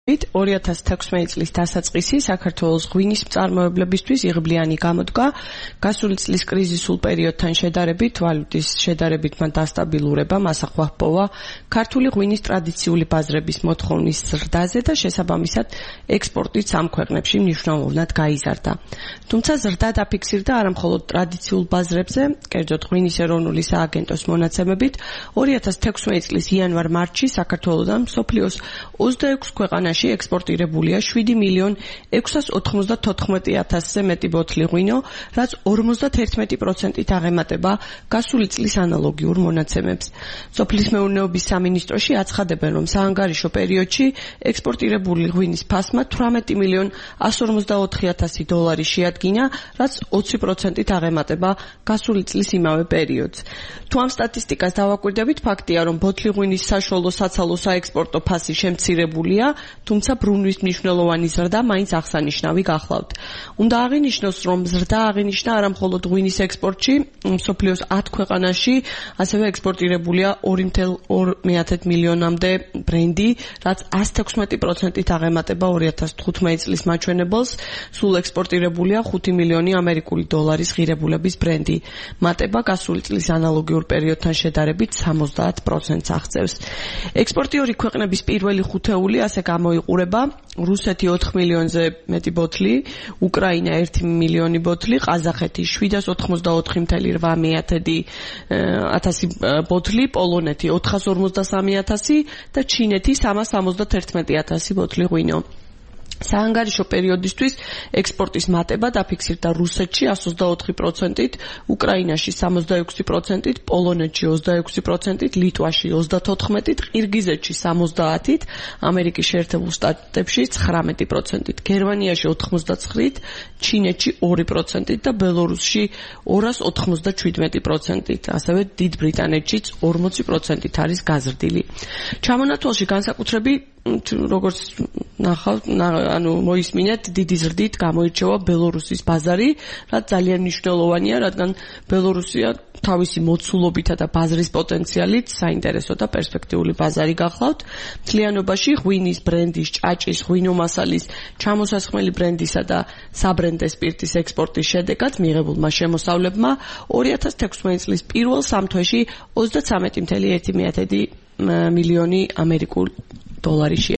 2016 წლის დასაწყისი საქართველოს ღვინის მწარმოებლებისთვის იღბლიანი გამოდგა. გასული წლის კრიზისულ პერიოდთან შედარებით, ვალუტის შედარებით მან დასტაბილურება, მასახვა ჰპოვა ქართული ღვინის ტრადიციული ბაზრების მოთხოვნის ზრდაზე და შესაბამისად ექსპორტიც ამ ქვეყნებში მნიშვნელოვნად გაიზარდა. თუმცა ზრდა დაფიქსირდა არა მხოლოდ ტრადიციულ ბაზრებზე, კერძოდ ღვინის ეროვნული სააგენტოს მონაცემებით, 2016 წლის იანვარ-მარტში საქართველოდან მსოფლიოს 26 ქვეყანაში ექსპორტირებულია 7.694.000-ზე მეტი ბოთლი ღვინო, რაც 51%-ით აღემატება გასული წლის ანალოგიურ მონაცემებს. სოფლის მეურნეობის სამინისტროში აცხადებენ, რომ საანგარიშო პერიოდში ექსპორტირებული ღვინის ფასმა $18,144,000 შეადგინა, რაც 20%-ით აღემატება გასული წლის იმავე პერიოდს. თუ ამ სტატისტიკას დავაკვირდებით, ფაქტია, რომ ბოთლი ღვინის საშუალო საცალო საექსპორტო ფასი შემცირებულია, თუმცა ბრუნვის მნიშვნელოვანი ზრდა მაინც აღსანიშნავი გახლავთ. უნდა აღინიშნოს, რომ ზრდა აღინიშნა არა მხოლოდ ღვინის ექსპორტში, მსოფლიოს 10 ქვეყანაში ასევე ექსპორტირებულია 2,2 მილიონამდე ბრენდი, რაც 116%-ით აღემატება 2015 წლის მაჩვენებელს, სულ ექსპორტირებულია 5 მილიონი ამერიკული დოლარის ღირებულების ბრენდი. მატება გასული წლის ანალოგიურ პერიოდთან შედარებით 70%-ს აღწევს. ექსპორტიორი ქვეყნების პირველი ხუთეული ასე გამოიყურება: რუსეთი 4 მილიონზე მეტი ბოთლი, უკრაინა 1 მილიონი ბოთლი, ყაზახეთი 783,000 ბოთლი, პოლონეთი 453,000 და ჩინეთი 371,000 ბოთლი ღვინო. საანგარიშო პერიოდისთვის ექსპორტის მატება დაფიქსირდა რუსეთში 124%-ით, უკრაინაში 66%-ით, პოლონეთში 26%-ით, ლიტვაში 34%-ით, ყირგიზეთში 70%-ით, ამერიკის შეერთებულ შტატებში 19%-ით, გერმანიაში 89%-ით, ჩინეთში 2%-ით და ბელორუსში 297%-ით, ასევე დიდ ბრიტანეთშიც 40%-ით არის გაზრდილი. ჩამონათვალში განსაკუთრებით როგორც ნახავთ, მოისმინეთ, დიდი ზრდით გამოირჩევა ბელორუსის ბაზარი, რაც ძალიან მნიშვნელოვანია, რადგან ბელორუსია თავისი მოცულობითა და ბაზრის პოტენციალით საინტერესო და პერსპექტიული ბაზარი გახლავთ. მთლიანობაში ღვინის, ბრენდის, ჭაჭის, ღვინომასალის, ჩამოსასხმელი ბრენდისა და საბრენდე სპირტის ექსპორტის შედეგად მიღებულმა შემოსავლებმა 2016 წლის პირველ 3 თვეში 33,1 მილიონი ამერიკულ დოლარი